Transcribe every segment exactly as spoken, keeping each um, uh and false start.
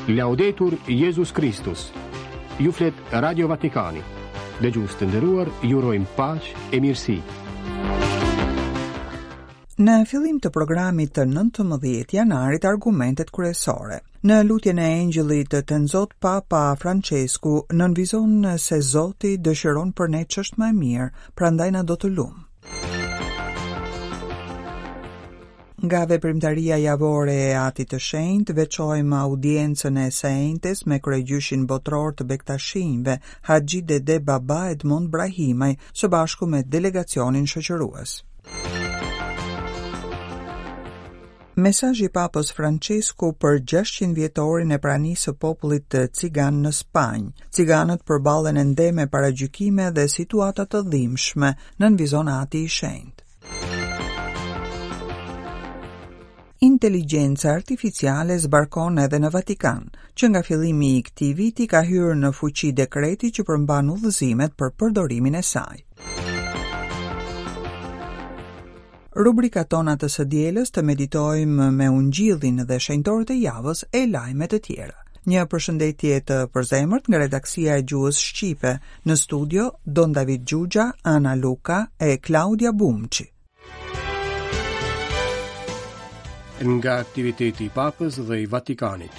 Laudetur Jezus Kristus. Ju flet Radio Vatikani. Dëgjues të nderuar, ju urojmë paqe e mirësi. Në fillim të programit të nëntëmbëdhjetë janarit, argumentet kryesore. Në lutjen e Engjëllit të Tenzot, Papa Francesku nënvizon se Zoti dëshiron për ne ç'është më e mirë, prandaj na do të lum. Nga veprimtaria javore e Atit të Shenjtë, veçojmë audiencën e së enjtes me kryegjyshin botror të Bektashinjve, Haxhi Dede Baba Edmond Brahimaj, së bashku me delegacionin shoqërues. Mesazhi i Papës Francesku për gjashtëqind vjetorin e pranisë së popullit të cigan në Spanjë. Ciganët përballen ende me paragjykime dhe situata të dhimbshme, nënvizon Ati i Shenjtë. Inteligjenca artificiale zbarkon edhe në Vatikan. Që nga fillimi i këtij viti ka hyrë në fuqi dekreti që përmban udhëzimet për përdorimin e saj. Rubrikat tona të së dielës të meditojmë me Ungjillin dhe shenjtorët e javës e lajme të tjera. Një përshëndetje të përzemërt nga redaksia e gjuhës shqipe. Në studio Don David Gjugja, Ana Luka e Klaudia Bumçi. Nga aktiviteti i Papës dhe i Vatikanit.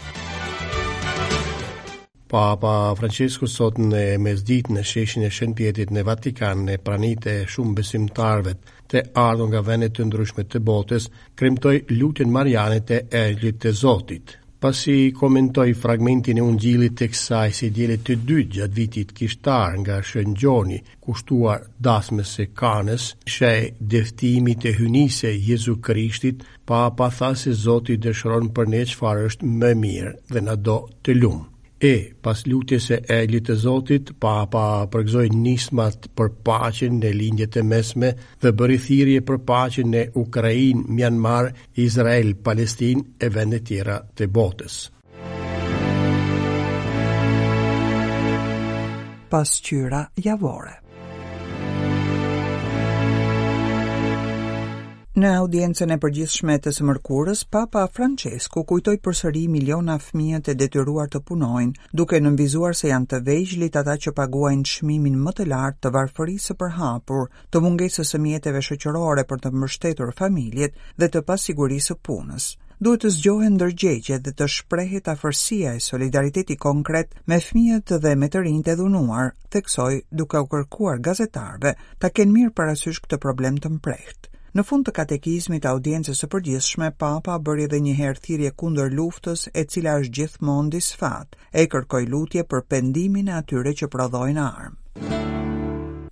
Papa Francesku sot në mesditë në sheshin e Shën Pjetrit në Vatikan, në prani të shumë besimtarëve të ardhur nga vende të ndryshme të botës, kremtoi lutjen mariane të Engjëllit të Zotit. Pasi komentoi fragmentin e Ungjillit të kësaj si diele të dytë gjatë vitit kishtar nga Shën Gjoni, kushtuar dasmës së Kanës, shej dëftimit të hyjnisë Jezu Krishtit, Papa tha se Zoti dëshiron për ne çfarë është më mirë dhe na do të lum. E, pas lutjes së Engjëllit të Zotit, Papa përgëzoi nismat për paqen në lindjet e mesme dhe bëri thirrje për paqen në Ukrainë, Myanmar, Izrael, Palestinë e vende tjera të botës. Pasqyra javore. Në audiencën e përgjithshme të së mërkurës, Papa Francesku kujtoi përsëri miliona fëmijët e detyruar të punojnë, duke nënvizuar se janë të vegjlit ata që paguajnë çmimin më të lartë të varfërisë së përhapur, të mungesës së mjeteve shoqërore për të mbështetur familjet dhe të pasigurisë së punës. Duhet të zgjohen ndërgjegjet dhe të shprehet afërsia e solidariteti konkret me fëmijët dhe me të rinjtë e dhunuar, theksoi duke u kërkuar gazetarëve ta kenë mirë parasysh këtë problem të mprehtë. Në fund të katekizmit të audiencës së përgjithshme, Papa bëri edhe një herë thirrje kundër luftës, e cila është gjithmonë disfat, e kërkoi lutje për pendimin e atyre që prodhojnë armë.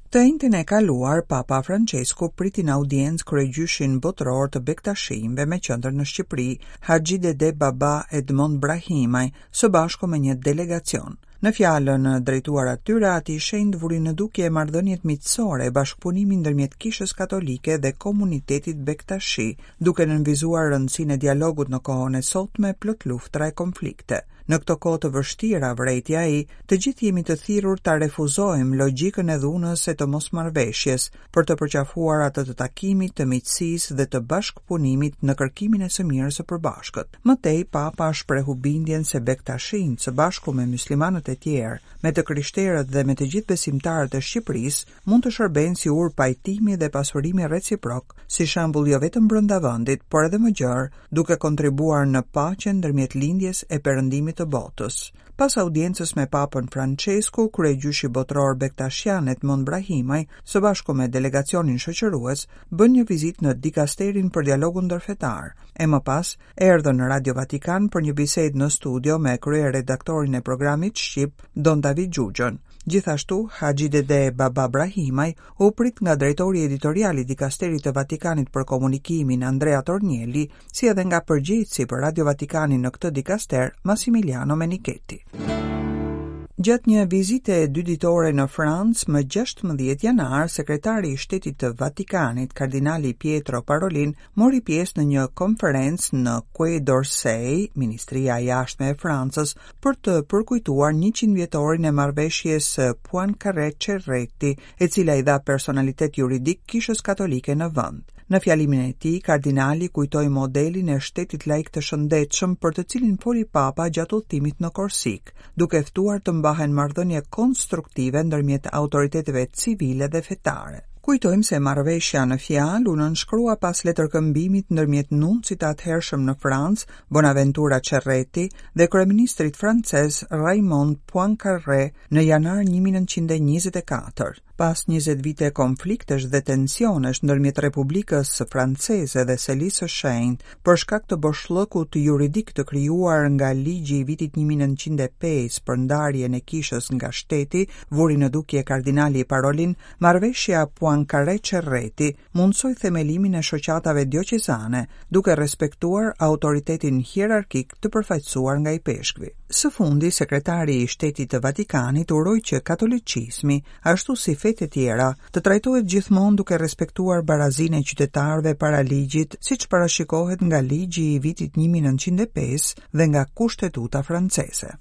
Të enjten e kaluar, Papa Francesku priti në audiencë kryegjyshin botror të Bektashinjve me qendër në Shqipëri, Haxhi Dede Baba Edmond Brahimaj, së bashku me një delegacion. Në fjalën drejtuar atyre, Ati i Shenjtë vuri në dukje marrëdhëniet miqësore e bashkëpunimin ndërmjet Kishës Katolike dhe komunitetit Bektashi, duke nënvizuar rëndësinë e dialogut në kohën e sotme plot luftra e konflikte. Në këto kohë të vështira, vërejti ai, të gjithë jemi të thirrur ta refuzojmë logjikën e dhunës e të mosmarrëveshjes për të përqafuar atë të takimit, të miqësisë dhe të bashkëpunimit në kërkimin e së mirës së përbashkët. Më tej, Papa shprehu bindjen se Bektashinjt së bashku me muslimanët e tjerë, me të krishterët dhe me të gjithë besimtarët e Shqipërisë, mund të shërbejnë si urë pajtimi dhe pasurimi reciprok, si shembull jo vetëm brenda vendit, por edhe më gjerë, duke kontribuar në paqen ndërmjet lindjes e perëndimit të botës. Pas audiencës me Papën Francesku, kryegjyshi botror Bektashian Edmond Brahimaj, së bashku me delegacionin shoqërues, bën një vizitë në dikasterin për dialogun ndërfetar, e më pas erdhën në Radio Vatikan për një bisedë në studio me kryeredaktorin e programit shqip, Don David Gjugjën. Gjithashtu, Haxhi Dede Baba Brahimaj u prit nga drejtori editorial i dikasterit të Vatikanit për komunikimin Andrea Tornielli, si edhe nga përgjegjësi për Radio Vatikanin në këtë dikaster, Massimiliano Menichetti. Gjatë një vizite dy ditore në Francë, më gjashtëmbëdhjetë janar, sekretari i Shtetit të Vatikanit, kardinali Pietro Parolin, mori pjesë në një konferencë në Quai d'Orsay, Ministria e Jashtme e Francës, për të përkujtuar njëqind vjetorin e marrëveshjes Poincaré-Cerretti, e cila i dha personalitet juridik Kishës Katolike në vend. Në fjalimin e tij, kardinali kujtoi modelin e shtetit laik të shëndetshëm për të cilin foli Papa gjatë udhëtimit në Korsikë, duke ftuar të mbahen marrëdhënie konstruktive ndërmjet autoriteteve civile dhe fetare. Kujtojmë se marrëveshja në fjalë u nënshkrua pas letërkëmbimit ndërmjet nuncit të atëhershëm në Francë, Bonaventura Cerretti, dhe kryeministrit francez Raymond Poincaré në janar një mijë e nëntëqind e njëzet e katër. Pas njëzet vite konfliktesh dhe tensionesh ndërmjet Republikës Franceze dhe Selisë së Shenjtë për shkak të boshllëkut juridik të krijuar nga ligji i vitit një mijë e nëntëqind e pesë për ndarjen e kishës nga shteti, vuri në dukje kardinali Parolin, marrëveshja Poincaré-Cerretti mundësoi themelimin e shoqatave dioqezane, duke respektuar autoritetin hierarkik të përfaqësuar nga ipeshkvi. Së fundi, sekretari i Shtetit të Vatikanit uroi që katolicizmi, ashtu si fetë e tjera, të trajtohet gjithmonë duke respektuar barazinë e qytetarëve para ligjit, siç parashikohet nga ligji i vitit një mijë e nëntëqind e pesë dhe nga Kushtetuta franceze.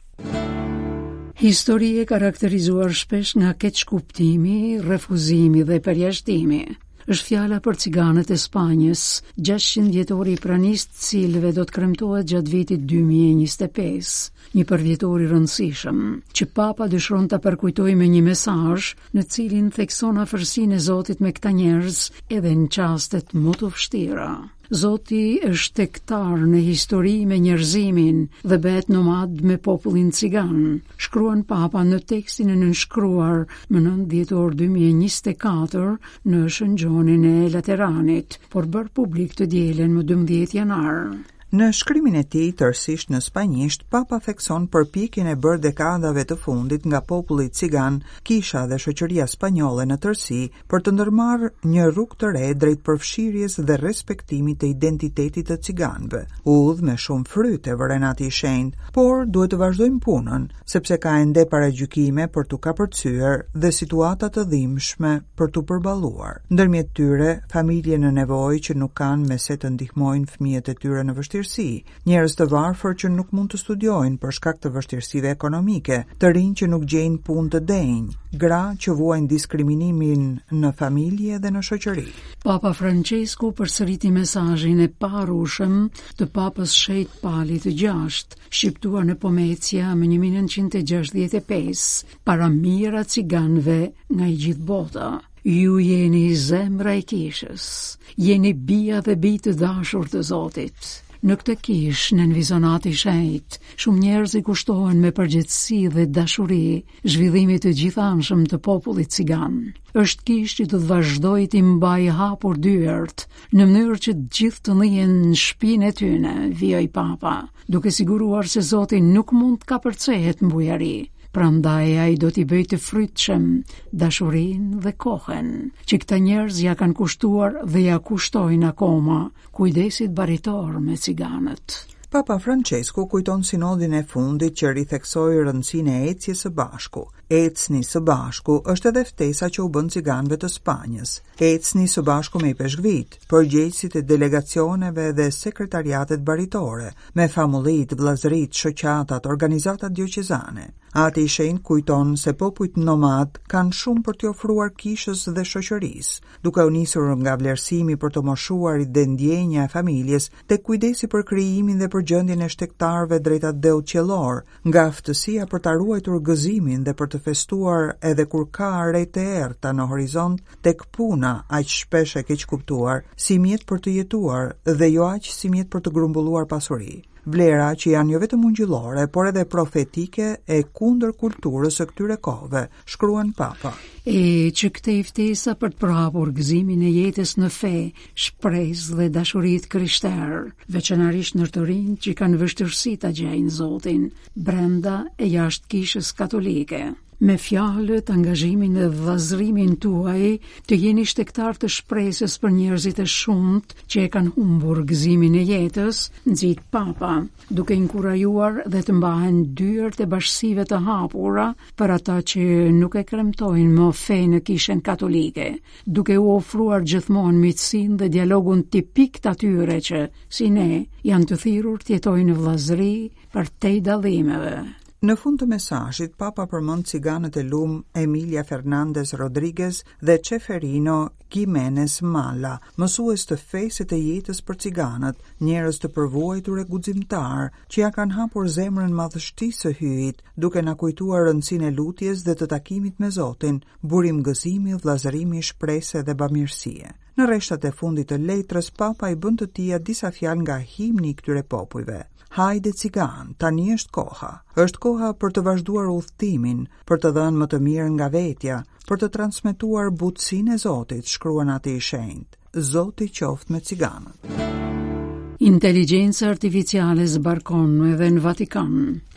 Histori e karakterizuar shpesh nga keqkuptimi, refuzimi dhe përjashtimi. Është fjala për ciganët e Spanjës, gjashtëqind vjetori i pranisë të cilëve do të kremtohet gjatë vitit dy mijë e njëzet e pesë, një përvjetor i rëndësishëm, që Papa dëshiron ta përkujtojë me një mesazh në cilin thekson afërsinë e Zotit me këta njerëz edhe në çastet më të vështira. Zoti është tektar në histori me njerëzimin dhe bëhet nomad me popullin cigan, shkruan Papa në tekstin e nënshkruar më nëntë dhjetor dy mijë e njëzet e katër në Shën Gjonin e Lateranit, por bërë publik të dielën më dymbëdhjetë janar. Në shkrimin e tij tërësisht në spanjisht, Papa thekson përpjekjen e bërë dekadave të fundit nga populli cigan, kisha dhe shoqëria spanjolle në tërësi për të ndërmarrë një rrugë të re drejt përfshirjes dhe respektimit të identitetit të ciganëve. Udhë me shumë fryte, vëren Ati i Shenjtë, por duhet të vazhdojmë punën, sepse ka ende paragjykime për t'u kapërcyer dhe situata të dhimbshme për t'u përballuar. Ndërmjet tyre, familje në nevojë që nuk kanë me se të ndihmojnë fëmijët e tyre në vështirësi, njerëz të varfër që nuk mund të studiojnë për shkak të vështirësive ekonomike, të rinj që nuk gjejnë punë të denjë, gra që vuajnë diskriminimin në familje dhe në shoqëri. Papa Francesku përsëriti mesazhin e paharrueshëm të Papës Shejt Palit të gjashtë, shqiptuar në Pomecia më një mijë e nëntëqind e gjashtëdhjetë e pesë, para mijëra ciganëve nga i gjithë bota. Ju jeni zemra e kishës, jeni bija dhe bij të dashur të Zotit. Në këtë kishë, në Vizonati Shenjt, shumë njerëz i kushtohen me përgjegjësi dhe dashuri zhvillimit të gjithanshëm të popullit cigan. Është kishë që do të vazhdojë t'i mbajë hapur dyert, në mënyrë që të gjithë të ndihen në shtëpinë e tyre, vijoi Papa, duke siguruar se Zoti nuk mund të kapërcehet në bujari. Prandaj ai do t'i bëjë të frytshëm dashurinë dhe kohën që këta njerëz ja kanë kushtuar dhe ja kushtojnë akoma kujdesit baritor me ciganët. Papa Francesku kujton sinodin e fundit që ritheksoi rëndësinë e ecjes së bashku. Ecni së bashku është edhe ftesa që u bën ciganëve të Spanjës. Ecni së bashku me ipeshkvit, përgjegjësit e delegacioneve dhe sekretariatet baritore, me famullit, vëllazërit, shoqatat, organizatat dioqezane. Ati i Shenjtë kujton se popujt nomad kanë shumë për t'i ofruar kishës dhe shoqërisë, duke u nisur nga vlerësimi për të moshuarit dhe ndjenja e familjes, tek kujdesi për krijimin dhe për gjendjen e shtegtarëve drejt atdheut qiellor, nga aftësia për ta ruajtur gëzimin dhe për të festuar edhe kur ka re të errta në horizont, tek puna aq shpesh e keqkuptuar si mjet për të jetuar dhe jo aq si mjet për të grumbulluar pasuri. Vlera që janë jo vetëm ungjillore, por edhe profetike e kundër kulturës së këtyre kohëve, shkruan Papa. E që këtej ftesa për të përhapur gëzimin e jetës në fe, shpresë dhe dashuri të krishterë, veçanërisht në të rinjt që kanë vështirësi ta gjejnë Zotin brenda e jashtë kishës katolike. Me fjalët, angazhimin dhe vëllazërimin tuaj, të jeni shtegtar të shpresës për njerëzit e shumtë që e kanë humbur gëzimin e jetës, nxit Papa, duke inkurajuar dhe të mbahen dyert e bashkësive të hapura për ata që nuk e kremtojnë më fenë në kishën katolike, duke u ofruar gjithmonë miqësinë dhe dialogun tipik të atyre që, si ne, janë të thirrur të jetojnë në vëllazëri për te dallimeve. Në fund të mesazhit, Papa përmend ciganët e lum Emilia Fernandez Rodriguez dhe Ceferino Gimenez Malla, mësues të fesë e të jetës për ciganët, njerëz të përvuajtur e guximtar, që ja kanë hapur zemrën madhështisë së Hyjit, duke na kujtuar rëndësinë e lutjes dhe të takimit me Zotin, burim gëzimi, vëllazërimi, shprese dhe bamirësie. Në rreshtat e fundit të letrës, Papa i bën të tija disa fjalë nga himni i këtyre popujve. Hajde cigan, tani është koha. Është koha për të vazhduar udhëtimin, për të dhënë më të mirë nga vetja, për të transmetuar butësinë e Zotit, shkruan Ati i Shenjtë. Zoti qoftë me ciganët. Inteligjenca artificiale zbarkon edhe në Vatikan.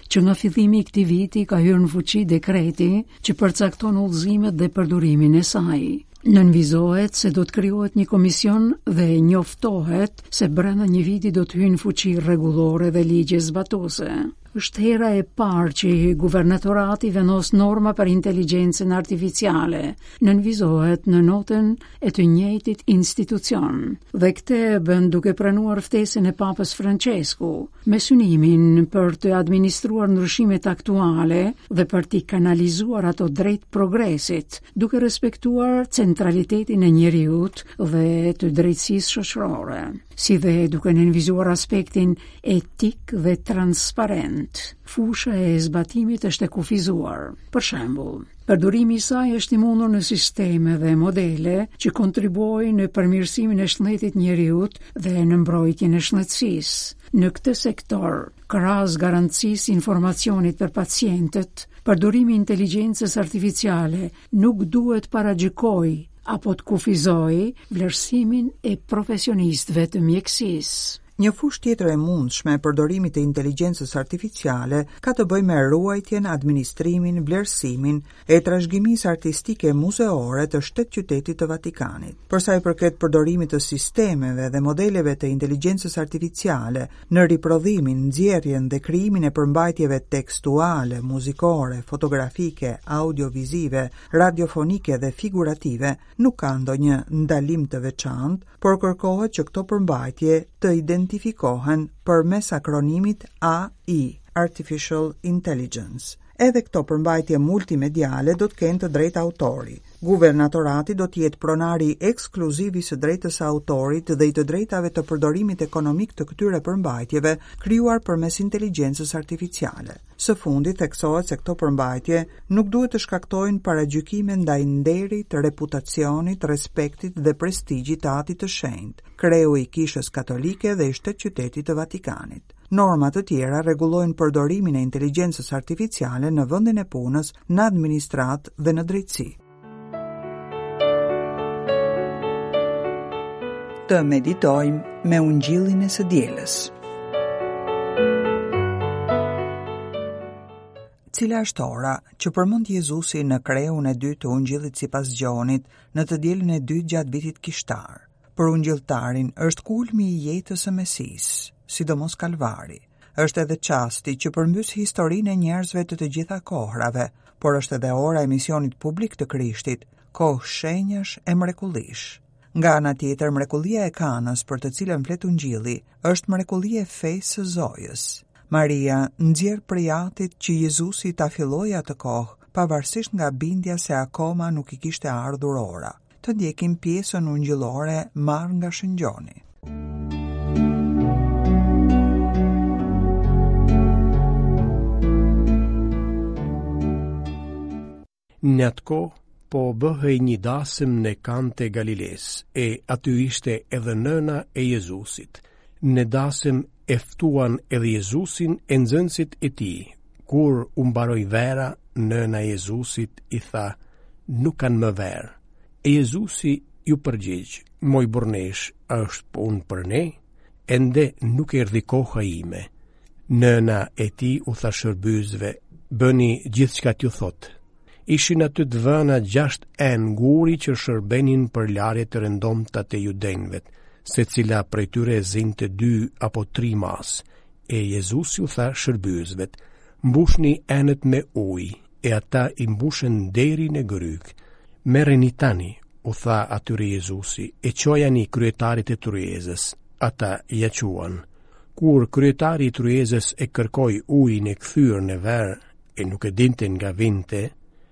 Që nga fillimi i këtij viti ka hyrë në fuqi dekreti që përcakton udhëzimet dhe përdorimin e saj. Nënvizohet se do të krijohet një komision dhe njoftohet se brenda një viti do të hyjnë në fuqi rregullore dhe ligje zbatuese. Është hera e parë që guvernatorati vendos norma për inteligjencën artificiale, nënvizohet në notën e të njëjtit institucion. Dhe këtë e bën duke pranuar ftesën e Papës Francesku, me synimin për të administruar ndryshimet aktuale dhe për t'i kanalizuar ato drejt progresit, duke respektuar centralitetin e njeriut dhe të drejtësisë shoqërore, si dhe duke nënvizuar aspektin etik dhe transparent. Fusha e zbatimit është e kufizuar. Për shembull, përdorimi i saj është i mundur në sisteme dhe modele që kontribuojnë në përmirësimin e shëndetit njeriut dhe në mbrojtjen e shëndetësisë. Në këtë sektor, krahas garancisë informacionit për pacientët, përdorimi i inteligjencës artificiale nuk duhet paragjykojë apo të kufizojë vlerësimin e profesionistëve të mjekësisë. Një fushë tjetër e mundshme e përdorimit të inteligjencës artificiale ka të bëjë me ruajtjen, administrimin, vlerësimin e trashëgimisë artistike muzeore të shtet qytetit të Vatikanit. Për sa i përket përdorimit të sistemeve dhe modeleve të inteligjencës artificiale në riprodhimin, nxjerrjen dhe krijimin e përmbajtjeve tekstuale, muzikore, fotografike, audiovizive, radiofonike dhe figurative, nuk ka ndonjë ndalim të veçantë, por kërkohet që këto përmbajtje të identifikohen përmes akronimit A I, Artificial Intelligence. Edhe këto përmbajtje multimediale do të kenë të drejtë autori. Guvernatorati do të jetë pronari ekskluziv i së drejtës së autorit dhe i të drejtave të përdorimit ekonomik të këtyre përmbajtjeve krijuar përmes inteligjencës artificiale. Së fundi theksohet se këto përmbajtje nuk duhet të shkaktojnë paragjykime ndaj nderit, reputacionit, respektit dhe prestigjit të Atit të Shenjtë, kreu i Kishës Katolike dhe i shtet qytetit të Vatikanit. Norma të tjera rregullojnë përdorimin e inteligjencës artificiale në vendin e punës, në administratë dhe në drejtësi. Të meditojmë me ungjillin e së dielës. Cila është ora që përmend Jezusi në kreun e dytë të ungjillit sipas Gjonit në të dielën e dytë gjatë vitit kishtar? Për ungjilltarin është kulmi i jetës së Mesisë, sidomos Kalvari. Është edhe çasti që përmbys historinë e njerëzve të të gjitha kohrave, por është edhe ora e misionit publik të Krishtit, kohë shenjash e mrekullish. Nga ana tjetër, mrekullia e Kanës për të cilën flet Ungjilli është mrekulli e fesë së Zojës. Maria nxjerr prej atit që Jezusi ta fillojë atë kohë, pavarësisht nga bindja se akoma nuk i kishte ardhur ora. Të ndjekim pjesën ungjillore marrë nga Shën Gjoni. Në atë kohë, po bëhej një dasëm në Kanë të Galiles, e aty ishte edhe nëna e Jezusit. Në dasëm e ftuan edhe Jezusin e nxënësit e tij. Kur u mbaroi vera, nëna e Jezusit i tha, nuk kanë më verë. E Jezusi iu përgjigj, moj burrneshë, a është punë për ne? Ende nuk erdhi koha ime. Nëna e tij u tha shërbyesve, bëni gjithçka t'ju thotë. Ishin aty të vëna gjashtë enë guri që shërbenin për larje të rëndomta të judenjve, secila prej tyre zinte dy apo tri mas. E Jezusi u tha shërbyesve, mbushni enët me ujë, e ata i mbushën deri në grykë. Merreni tani, u tha atyre Jezusi, e çojani kryetarit e tryezës. Ata ja çuan. Kur kryetari i tryezës e kërkoi ujin e kthyer në verë, e nuk e dinte nga vinte,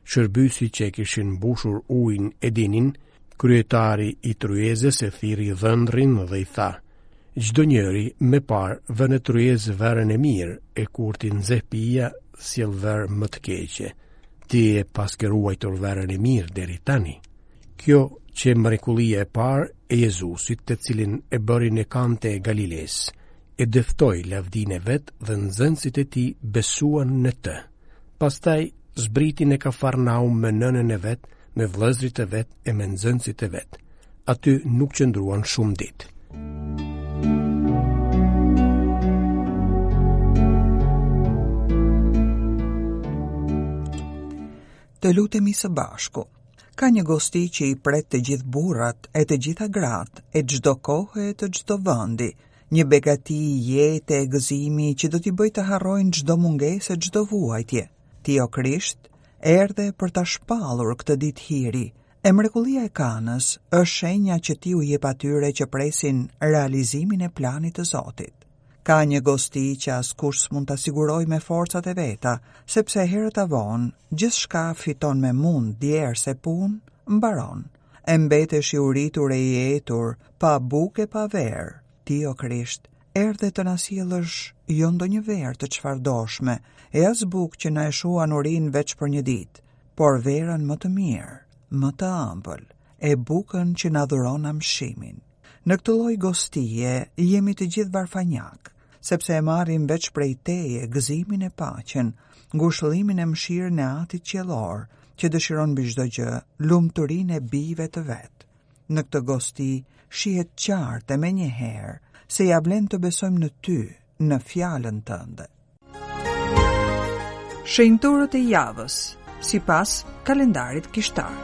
shërbyesit që e kishin mbushur ujin e dinin, kryetari i tryezës e thirri dhëndrin dhe i tha: Çdo njeri më parë vë në tryezë verën e mirë, e kur t'i nxeh pija, sjell verë më të keqe. Ti e paske ruajtur verën e mirë deri tani. Kjo qe mrekullia e parë e Jezusit, të cilin e bëri në Kanë të Galilesë. E dëftoi lavdinë e vet dhe nxënësit e tij besuan në të. Pastaj zbriti në Kafarnaum me nënën e vet, me vëllezërit e vet e me nxënësit e vet. Aty nuk qëndruan shumë ditë. Të lutemi së bashku. Ka një gosti që i pret të gjithë burrat e të gjitha gratë e çdo kohe e të çdo vendi, një begati jete e gëzimi që do t'i bëjë të harrojnë çdo mungesë e çdo vuajtje. Ti, o Krisht, erdhe për ta shpallur këtë ditë hiri, e mrekullia e Kanës është shenja që ti u jep atyre që presin realizimin e planit të Zotit. Ka një gosti që askush s'mund ta sigurojë me forcat e veta, sepse herët a vonë, gjithçka fiton me mund, djersë e punë, mbaron. E mbetesh i uritur e i etur, pa bukë e pa verë. Ti, o Krisht, erdhe të na sjellësh jo ndonjë verë të çfarëdoshme, e as bukë që na e shuan urinë veç për një ditë, por verën më të mirë, më të ëmbël, e bukën që na dhuron amshimin. Në këtë lloj gostie jemi të gjithë varfanjak, sepse e marrim veç prej teje gëzimin e paqen, ngushëllimin e mëshirën e Atit Qiellor, që dëshiron mbi çdo gjë lumturinë e bijve të vet. Në këtë gosti shihet qartë e menjëherë se ja vlen të besojmë në ty, në fjalën tënde. Shenjtorët e javës, sipas kalendarit kishtar.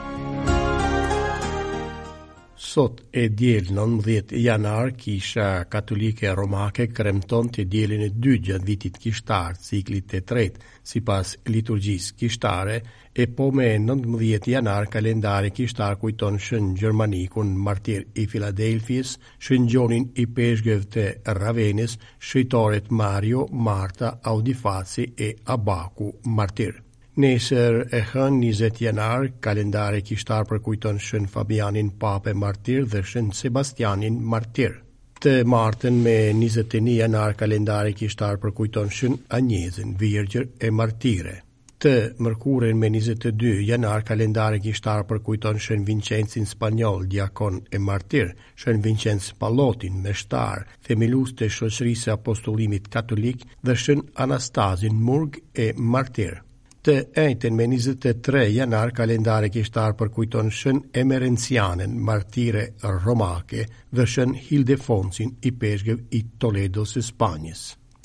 Sot e diel nëntëmbëdhjetë janar, Kisha Katolike Romake kremton të dielën e dytë gjatë vitit kishtar, ciklit të tretë, sipas liturgjisë kishtare, e po me nëntëmbëdhjetë janar kalendari kishtar kujton Shën Gjermanikun, martir i Filadelfiës, Shën Gjonin i Peshgëve të Ravenës, shëjtorët Mario, Marta, Audifaci e Abaku, martir. Nesër e hënë njëzet janar, kalendari kishtar përkujton Shën Fabianin Pape martir dhe Shën Sebastianin martir. Të martën me njëzet e një janar kalendari kishtar përkujton Shën Anjezën, virgjër e martire. Të mërkurën me njëzet e dy janar kalendari kishtar përkujton Shën Vincencin Spanjoll, diakon e martir, Shën Vincenc Pallotin, meshtar, themelues të shoqërisë së apostullimit katolik dhe Shën Anastazin, murg e martir. Të enjten me njëzet e tre janar kalendari kishtar përkujton Shën Emerencianën, martire romake, dhe Shën Hildefonsin, i peshgëv i Toledos së Spanjës.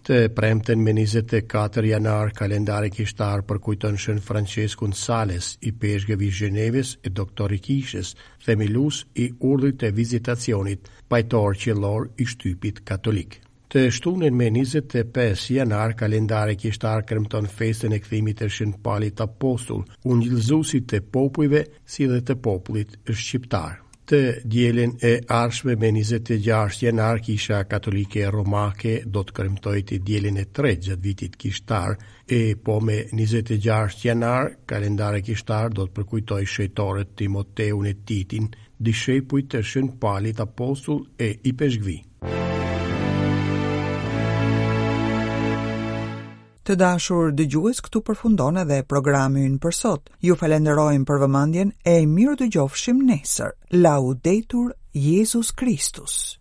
Të premten me njëzet e katër janar kalendari kishtar përkujton Shën Franceskun Sales, i peshgëv i Gjenevës e doktor i kishës, themelues i urdhrit të vizitacionit, pajtor qiellor i shtypit katolik. Të shtunën me njëzet e pesë janar kalendari kishtar kremton festën e kthimit të Shën Palit Apostull, ungjillëzuesit të popujve si dhe të popullit shqiptar. Të dielën e ardhshme me njëzet e gjashtë janar Kisha Katolike Romake do të kremtojë të dielën e tretë gjatë vitit kishtar, e po me njëzet e gjashtë janar kalendari kishtar do të përkujtojë shejtorët Timoteun e Titin, dishepujt të Shën Palit Apostull e ipeshkvi. Të dashur dëgjues, këtu përfundon edhe programi ynë për sot. Ju falenderojmë për vëmendjen e mirë dëgjofshim nesër. Laudetur Jezus Kristus.